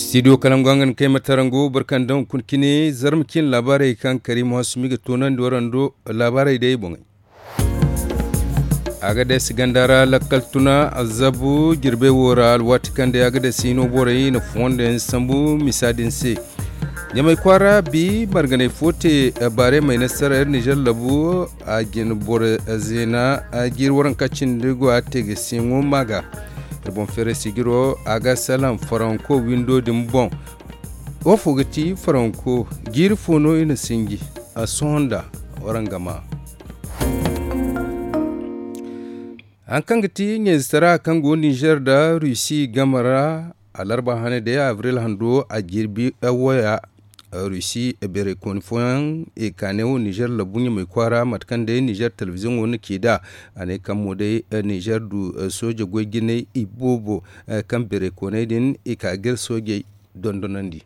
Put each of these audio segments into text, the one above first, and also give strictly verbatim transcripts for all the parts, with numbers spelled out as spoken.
Studio kalangu hangan kay ma tarango barkan da hunkuna cine zarma cine laabaarey kaŋ karimu hasumi ga toonandi warando. Laabaarey day boŋey. Agades ganda ra lakkal tuna azabu jirbey wo ra alwaati kaŋ day agades hino borey na fondo yaŋ sambu misa din se. Ɲamay kwaara bi marganey fo te baarey may nasaray nizer labu a jin boro zeena jiiri waranka cindi go a te ga siŋo ma ga. Iri boŋ feeray sijiro a ga salaŋ faranko windo din boŋ. Wo fo ga ti faranko jiiri fo no i na sinji a sohõ nda waranga ma. Hari kaŋ ga ti ɲayze tara kaŋ go nizer nda rusi game ra alarba hane day abril hando a jirbi waya. Rusi beeray kooni fooyaŋ i ka ne wo nizer labu ɲamay kwaara mate kaŋ day nizer telebiziyoŋo na ci nd'a. A ne kaŋ mo day nizer du sooje goy jinay iboobo kaŋ beeray kooney din i ka ga iri soojey dondonandi.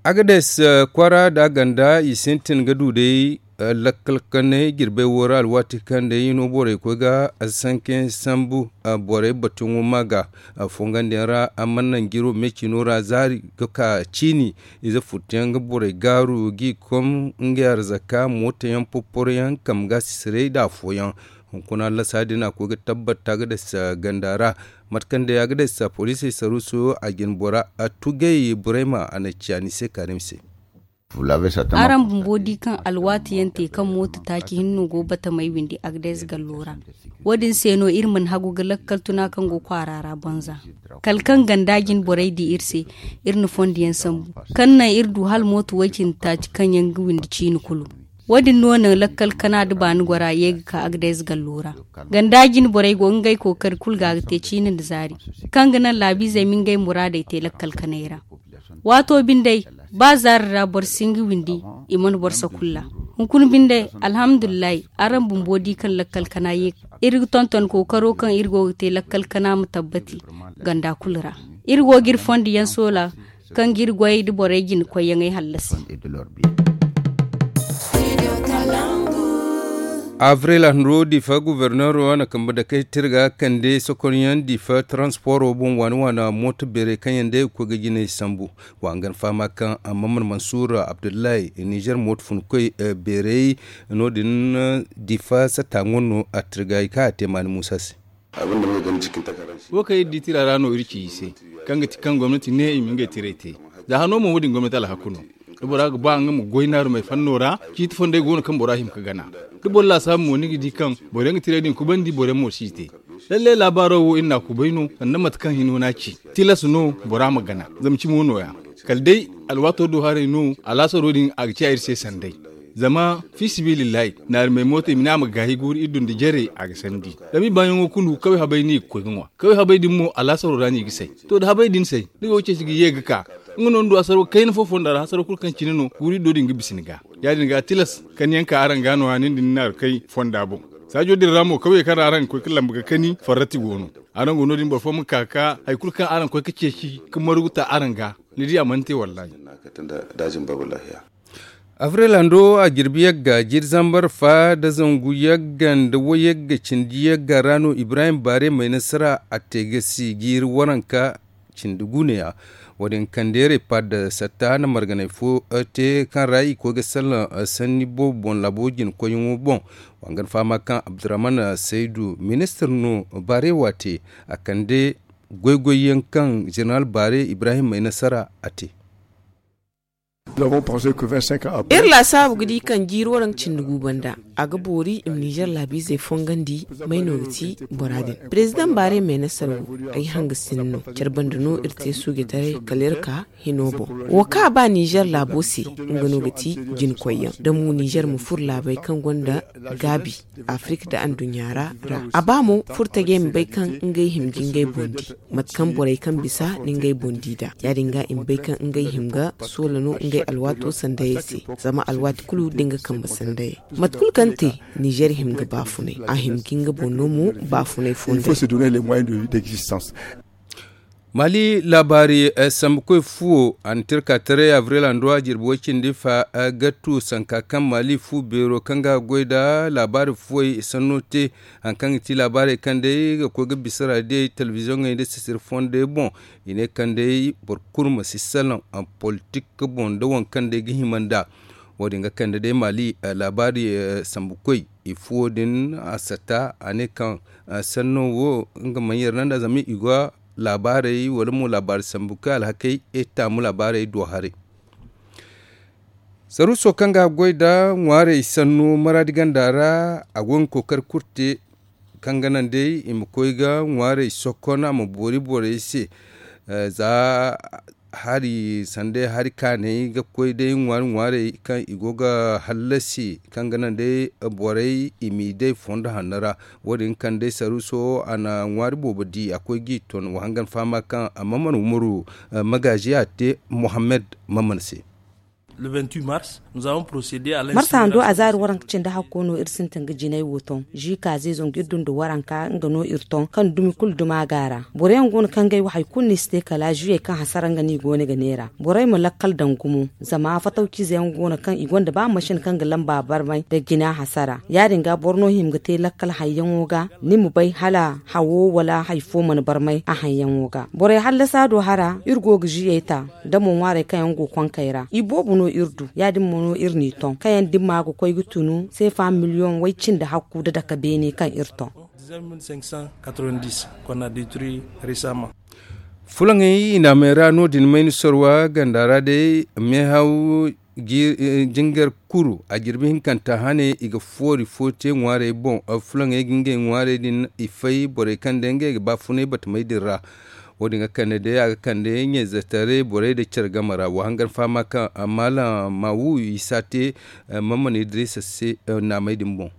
Agades kwaara nda ganda i sintin ga du day lakkal kanay jirbey wo ra alwaati kaŋ day hino borey koy ga sanke sambu borey batuyaŋo ma ga fongandiyaŋ ra. Amma naŋ jiro me cino ra zaari ga ka ciini ize furtuyaŋ ga borey gaaru g'i kom ngey arzaka mootoyaŋ popporoyaŋ kambe ga sisiray nda afooyaŋ. Hunkuna lasa din a koy ga tabbata ga dasa ganda ra mate kaŋ day a ga dasa poliisey saruuso a jin bora a tugay burayma a na ciya ni se kaarim se. Araŋ bumbo di kaŋ alwaati yaŋ te kaŋ mooto taaci hinne no go batamey windi agdes gallo ra. Wo- din se no iri mana hagu ga lakkal tuna kaŋ go kwaara ra banza kala kaŋ ganda jin borey di iri se. Iri na fondo yaŋ sambu kaŋ naŋ iri du hala mooto way- cindi taaci kaŋ yaŋ ga windi ciine kulu. Wo- din no naŋ lakkal kana nda baani gora ye ga ka agdes gallo ra. Ganda jine borey go ngey kookari kulu ga ga te ciine nda zaari kaŋ ga naŋ laabiizey ma ngey muraadey te lakkal kanay ra. Waato binde ba zaari ra boro si hin ga windi i mana boro sakulla. Hunkuna binde alhamdulillahi araŋ bumbo di kaŋ lakkal kana ye. Iri ga tonton kookaro kaŋ iri go ga te lakkal kana ma tabbati ganda kulu ra. Iri go ga iri fondo yaŋ soola kaŋ ga iri goyey nda borey jina koyyaŋey hallasi. Avril hanro difa guverneero na kambe dakey tirga kande sokonyaŋ difa taransporo boŋ waani waana mooto beerey kaŋ yaŋ day ga koy ga jinay sambu. Wa hangan fahama kaŋ amma mana mansuur abdullahi nizer mooto funkoy beerey no- din difa satta ŋwa no a tirga i kaŋ a te maani muusa se. Wo kaŋ iri di tira ra no iri ci i se kaŋ ga ti kaŋ gomnati ne i ma ngey tiray te. Za hano mo wo- din gomnati alhaku no. Da bora ga ba nga ma goy naarumey fanno ra ciiti fondey go no kaŋ bora hima ga gana. Da boro laasaabu mo ni ga di kaŋ boro yaŋ ga tiray din kubandi boro yaŋ mo si i te. Lalle laabaaro wo iri n'a kubay no sanda mate kaŋ hino n'a ci tilas no bora ma gana. Zama cimo no- ya kala day alwaato do haray no alaasaro din a ga ciya iri se sanday. Zama fi sabilillahi naarumey mooto i ma ne a ma gaahi guuru iri dunda jare a ga sandi. Zama i baayaŋo kulu kaway habay no i ga koy ga ŋwa kaway habay din mo alaasaro ra no i ga say. To da habay din say ni go ga ceeci ga ye ga ka nga no ni du asaro kayna fo fonda ra hasaro kulu kaŋ cine no guuru iri do din ga bisa ni ga. Ya- din ga tilas kaniyaŋ ka araŋ ga no- ya nin da ni naaru kay fonda boŋ. Saajo din ra mo kawyey kaŋ ra araŋ ga koy ga lamba ga kani farrati go no. Araŋ go no- din boro fo ma ka ga ka hari kulu kaŋ araŋ ga koy ga ceeci ga margu ta araŋ ga. Ni di a mana te wallahi. Avril hando a jirbi yagga jiiri zambar fa nda zangu yagga nda wayagga cindi yagga ra no ibrahim baare may nasara a te ga si jiiri waranka cindi guneya. Wo- din kande repaad satta na marganay fo te kaŋ ra i koy ga salaŋ sanni boobo boŋ laabo jina koyyaŋo boŋ. Wa hangan fahama kaŋ abdurrahman saydu ministir no baare wo a te a kande goy-goy yaŋ kaŋ jeneral baare ibrahim may nasara a te. Iri laasaabu ga di kaŋ jiiri waranka cindi gu banda a ga boori i ma nizer laabiizey fongandi. May no ga ti bora din? Perezidaŋ baare may nasara wo ay hanga sinda no care banda no iri te suujetaray kala iri ka hino boŋ. Wo kaŋ a ba nizer laabo se nga no ga ti jinkoyyaŋ da mo nizer ma furo laabey kaŋ gonda gaabi afirik nda anduɲɲa ra. A ba mo furtajey ma bay kaŋ ngey hima ga ngey boŋ di mate kaŋ borey kaŋ bisa na ngey boŋ di nd'a. Ya- din ga i ma bay kaŋ ngey hima ga soola no ngey alwaato sandayey se. Zama alwaati kulu da nga kambe sandayey mate kulu kaŋ te nizer hima ga baafunay a hima ga nga boŋ no mo baafunay fondey. Maali laabaari sambukoy fuwo a na tirka taray abril handu a jirbi way cindi fa ga tu sanka kaŋ maali fu beero kaŋ ga goy nda laabaari fuwey sanno te. Hari kaŋ ga ti laabaarey kaŋ day ga koy ga bisa raadiyey telebiziyoŋey nda sisiri fondey boŋ, i ne kaŋ day boro kulu ma si salaŋ politik boŋ nda waŋ kaŋ day ga hima nd'a. Wo- din ga kande day maali laabaari sambukoy i fuwo din a sata a ne kaŋ sanno wo nga mana yar naŋ nd'a zama i ga laabaarey wala mo laabaari sambu kaŋ alhakey taamu laabaarey do haray. Saruuso kaŋ ga goy nda ŋwaarey sanno maraadi ganda ra a go ga kookari kulu te kaŋ ga naŋ day i ma koy ga ŋwaarey sokon a ma boori borey se. Za hari sanday hari kaanay ga koy day ŋwaari ŋwaarey kaŋ i go ga hallasi kaŋ ga naŋ day borey i m'i day fondo hanno ra. Wo- din kaŋ day saruuso a na ŋwaari boobo di a koy g'i ton wa hangan fahama kaŋ a mana mana umaru magaazi a te mohammed maman se. Marsa hando a zaari waranka cindi hakko no iri sintin ga jinay wo ton zika zeezo nga iri dunda waranka nga no iri ton kaŋ dumi kulu duma ga a ra. Boro yaŋ go no kaŋ ga ay wo hari kulu no i si te kala ziyey kaŋ hasara nga no i go no ga neera borey ma lakkal daŋ gumo. Zama fatawciize yaŋ go no kaŋ i gonda ba masin kaŋ ga lamba barmay nda jina hasara ya- din ga boro no hima ga te lakkal hayyaŋo ga ni ma bay hala hawo wala hari fo mana barmay a hayyaŋo ga borey hallasa do hara iri go ga ziyey ta. Da mo ŋwaarey kaŋ yaŋ go konkey ra i boobo no iri du ya- din mo no iri n'i ton kaŋ yaŋ dimma ga koy ga tunu seefa miliyoŋ way- cindi hakku nda dake beene kaŋ iri ton. Fulaŋey i na a may ra no- din mayni sorwa ganda ra day meehaw jingar kuru a jirbi hinkanta hane i ga foori fo te ŋwaarey boŋ. Fulaŋey ga ngey ŋwaarey din i fay borey kaŋ day ngey ga baafunay batamey din ra. Wo- din ga kande day a ga kande ɲayzetaray borey da care game ra wa hangan fahama kaŋ malam mawu isa te mamman idrisa se naamey din boŋ.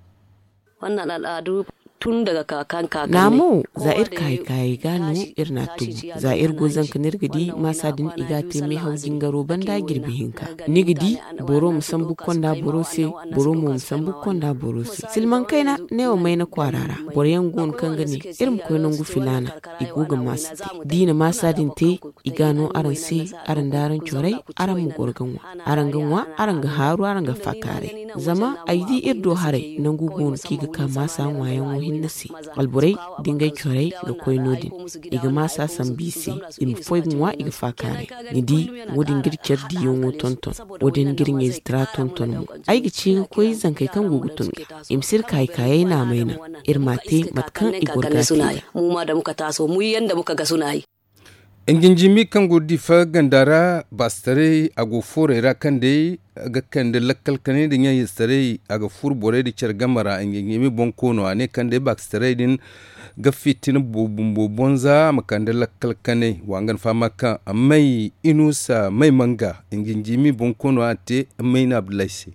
Naamo za iri ka hari kaayey ga no iri n'a tubu. Za iri go zanka no iri ga di maasa din i ga a te meehaw jingaro banda jirbi hinka. Ni ga di boro ma sambu konda boro se. Boro mo ma sambu konda boro se silmaŋ kayna neewo mayna kwaara ra. Boro yaŋ go no kaŋ ga ne iri ma koy nangu filaana. I go ga maasa te da i na maasa din te i ga no araŋ se. Araŋ da araŋ corey araŋ ma goro ga ŋwa. Araŋ ga ŋwa araŋ ga haaru araŋ ga faakaaray. Zama ay di iri do haray nangu go no kaŋ i ga ka maasa ŋwaayaŋo hinne se. Alborey da ngey corey ga koy no- din i ga maasa sambu i se. I ma foy ga ŋwa i ga faakaaray. Ni di wo- din ga iri care diyaŋo tonton. Wo- din ga iri ɲayzitara tonton mo. Ay ga ci ga koy zankey kaŋ go ga tun ga i ma si iri kaayi kaayey naamay naŋ. Iri m'a te mate kaŋ i goro ga a te nd'a. Nginjimi kaŋ go difa ganda ra baasitaray a go foorey ra kaŋ day ga kande lakkal kanay nda ɲaŋ yestaray a ga furu borey nda care game ra nginjimi bonkoono a ne kaŋ day baasitaray din ga fitina bumbo bonza a ma kande lakkal kanay wa nga na fahama kaŋ may inusa may manga nginjimi bonkoono a te may na abdullahi se.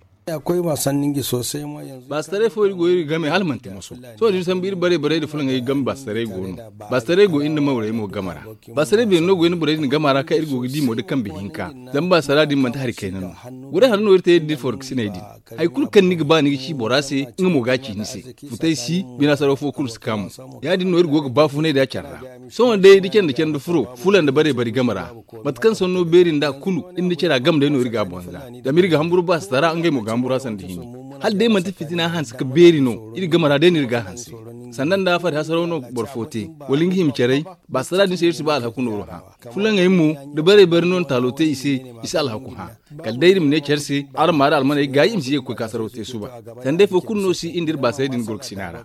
Baasitaray fo iri go iri game hala manti moso. Sohõ da iri sambu iri barey barey nda fulaŋey game baasitaray go no. Baasitaray go iri nda mawrey mo game ra. Baasitaray beeri no go iri nda borey din game ra kaŋ iri go ga di mo da kambe hinka. Zama baasitara din manti hari kayna no. Goray hara no iri te iri da iri foroksiney din. Hari kulu kaŋ ni ga ba ni ga ci bora se nga mo ga a ci ni se. Futay si bina saraw fo kulu si ka mo. Ya- din no iri go ga baafunay da care ra. Sohõ day da care nda care nda furo fula nda barey bari game ra. Mate kaŋ sanno beeri nd'a kulu iri nda cara game day no iri ga a bonza. Zama iri ga hamburu baasitara ngey mo ga hamburu a sanda hini. Hala day manti fitina hanse ka beeri no iri game ra day no iri ga a hanse. Sanda nda fari hasaraw no boro fo te wala nga hima caray. Baasitara din se iri si ba alhaku nooru hã. Fulaŋey mo da barey bari no na taalo te i se. I si alhaku hã. Kala day iri ma ne care se araŋ ma araŋ almaney gaayi i ma si ye ga koy ka saraw te suba. Sanda day fo kulu no si iri nda iri baasitara din gorgasina ra.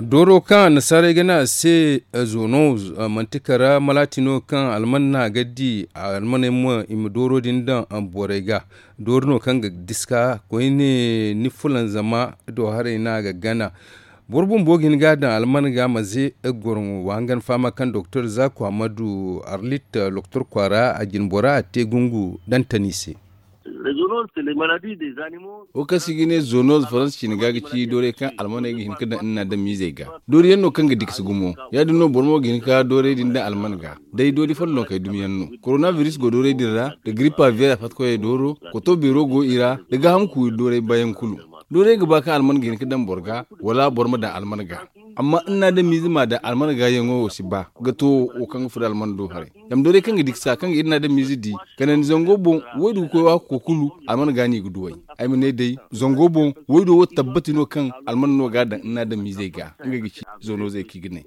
Dooro kaŋ annasaarey ga ne a se zonoz manti kara malaati no kaŋ alman no a ga di. Almaney mo i ma dooro din daŋ borey ga. Dooro no kaŋ ga diska koyne ni fulanzama do haray no a ga gana. Boro bumbo ga hin ga a daŋ alman ga ma ze goroŋo wa hangan fahama kaŋ doktor zaku hamadu arlit loktor kwaara a jine bora a te gungu dantani se. Wo kaŋ se i ga ne zonoz faransa ciine ga ga ci doorey kaŋ almaney ga hin ga daŋ iri n'a daŋ miizey ga. Doori yaŋ no kaŋ ga dikasi gumo. Ya- din no boro mo ga hin ga doorey din daŋ alman ga. Day doori follonkey dumi yaŋ no. Koronabiris go doorey din ra nda giripa viyer a fatkoyey dooro. Koto beero go i ra nda gaaham kuuri doorey bayaŋ kulu. Doorey ga ba kaŋ alman ga hin ga daŋ boro ga, wala boro ma daŋ alman ga. Amma iri na adamiize ma daŋ alman ga yaŋo wo si ba ga to wo kaŋ ga furo alman do haray. Zama doorey kaŋ ga di ga sa kaŋ ga iri na adamiize di, kala ni zango boŋ, waydu ga koy waako kulu, alman ga no i ga duw'ey. Ay ma ne day, zango boŋ, waydu wo tabbati no kaŋ alman no ga a daŋ iri na adamiizey ga. Ngey ga ci zoonozey kaŋ i ga ne.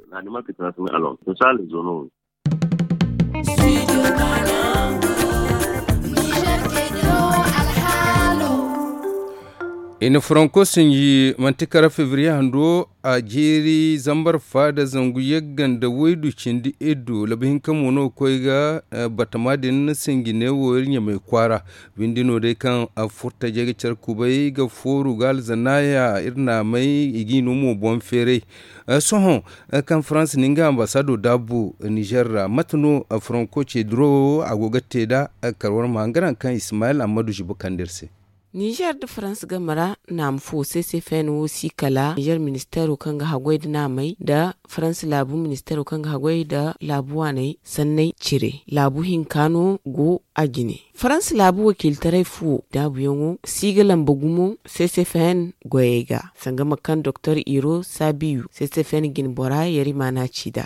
I na faranko sinji manti kara febriye hando a jeeri zambar fa da zangu yagga nda waydu cindi iddu labu hinka mo no ga koy ga. Batama din sinji neewo iri ɲamay kwaara. Binde no day kaŋ furtajey ga care kubay ga fooru ga alzanaya iri naamay i g'i no mo boŋ feeray. Sohõ kaŋ farans na nga ambasaado daabu nizer ra mate no faranko ce duro wo a go ga te nd'a? Kar war ma hangan kaŋ ismayil ammadu zibo kande iri se. Nizer nda farans game ra naama fo se se feene wo si kala nizer ministeero kaŋ ga haggoy nda naamey nda farans laabu ministeero kaŋ ga haggoy nda laabu waaney sanney cire laabu hinka no go a jine. Farans laabu wakiilitaray fuwo daabuyaŋo si ga lamba gumo se se feene goyey ga sanga ma kaŋ doktor iro saabiyu se se feene jine bora yari maana ci nd'a.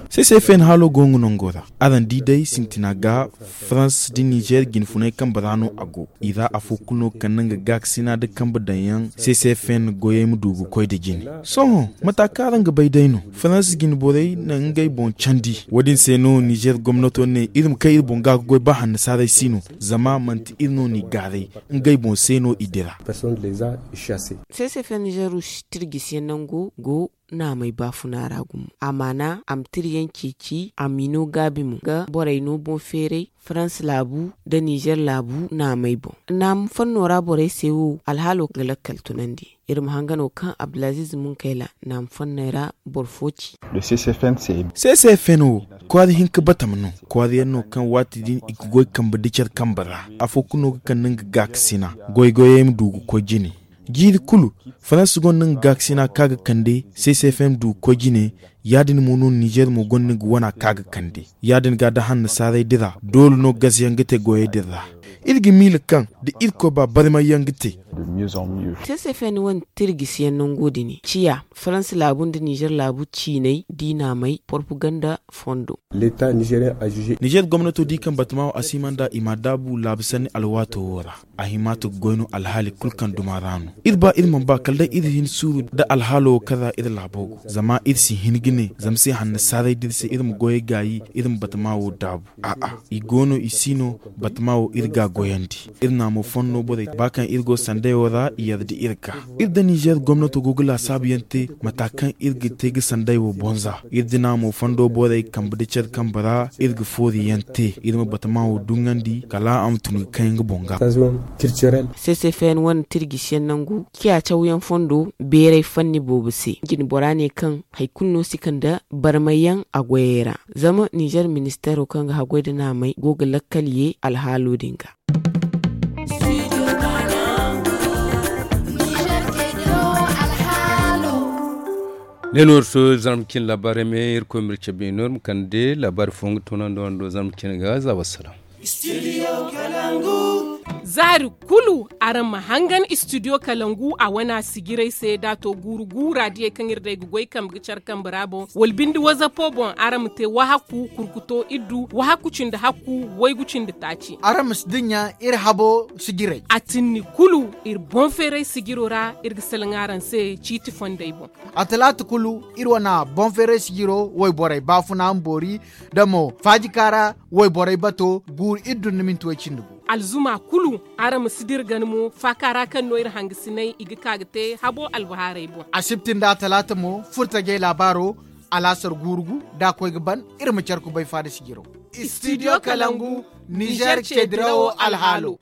Se se feene haalo go nga nango ra. Araŋ di day sintina ga farans nda nizer jine funay kambe ra no a go. I ra afo kulu no ga kande nga gaakasina nda kambe daŋyaŋ se se feene goyey ma du ga koy nda jine. Sohõ mata kaŋ araŋ ga bay day no farans jine borey na ngey boŋ candi wo- din se no nizer gomnato ne iri ma kay iri boŋ ga ga goy ba hannasaarey si no. Zama manti iri no n'i gaaray. Ngey boŋ se no i dira. Se se feene nizer tirjisiyaŋ nango go naamey baafuna ra gumo a maana a ma tira yaŋ ceeci a m'i no gaabi mo ga borey no boŋ feeray farans laabu nda nizer laabu naamey boŋ. Naama fanno ra borey se wo alhaalo ga lakkal tunandi. Iri ma hangano kaŋ abdulaziiz munkayla naama fanney ra boro fo ci. Se se feene wo kwaara hinka batama no kwaara yaŋ no kaŋ waati din i ga goy kambe nda care kambe ra. Afo kulu no ga kande nga gaakasina goy-goyey ma du ga koy jine. Jiiri kulu farans gonda nga gaakasina kaŋ a ga kande se se feene ma du ga koy jine. Ya- din mo no nizer mo gonda nga wana kaŋ a ga kande ya- din ga da hannasaarey dira doole no gazayaŋ ga te goyey din ra. Iri ga miila kaŋ da irkoy ba barmayyaŋ ga te. Se se feene wane tirjisiyaŋ nango din ciya farans laabu nda nizer laabu ciiney diina may porpaganda fondo. Nizer gomnato di kaŋ batama wo a si hima nd'a i m'a daabu laabu sanni alwaato wo ra. A hima to ga goy no alhaali kulu kaŋ duma ra no. Iri ba iri mana ba kala day iri hin suuru nda alhaalo wo kaŋ ra iri laabo go zama iri si hin ga ne zama se hannasaarey da iri se iri ma goyey gaayi iri ma batama wo daabu. A'a, i go no i si no. Batama wo iri ga a goyandi. Iri naamo fanno borey ba kaŋ iri go sanday wo ra i yarda iri ga. Iri nda nizer gomnato go ga laasaabu yaŋ te mata kaŋ iri ga te ga sanday wo bonza iri dina mo fondo borey kambe nda care kambe ra. Iri ga foori yaŋ te iri ma batama wo duŋandi kala a ma tun ga kay nga boŋ ga. Se se feene wane tirjisiyaŋ nangu ciya cawyaŋ fondo beeray fanni boobo se jine bora ne kaŋ hari kulu no si kande barmayyaŋ a goyey ra. Zama nizer ministeero kaŋ ga haggoy nda naamey go ga lakkal ye alhaalo din ga. Ne no iri to zarma cine laabaarey me irkoy ma iri cabe no iri ma kande laabaari fo nga toonandi wando zarma cine ga za wassalam. Zaari kulu araŋ ma hangan istidiyo kalangu a wana sijirey se da a to guuru guura diyey kaŋ iri day ga goy kambe ga care kambe ra boŋ wala binde wazapo boŋ araŋ ma te wahakku kurkuto iddu wahakku cindi hakku waygu cindi taaci. Araŋ ma si dinya iri habo sijirey a tinni kulu iri boŋ feeray sijiro ra iri ga salaŋ araŋ se ciiti fondey boŋ. A talaata kulu iri wana boŋ feeray sijiro wayborey baafuna ma boori da mo faajika ra wayborey bato guuru iri dun ni minti way cindi gu. Alzuma kulu araŋ ma si dira gana mo faaka ra kaŋ no iri hangasinay i ga ka ga te habo albahaarey boŋ. Asibti nda talaata mo furtajey laabaaro alaasar guuru gu da a koy ga ban iri ma care kubay faada sijiro. Istidiyo kalangu nizer ce dirawo alhaalo.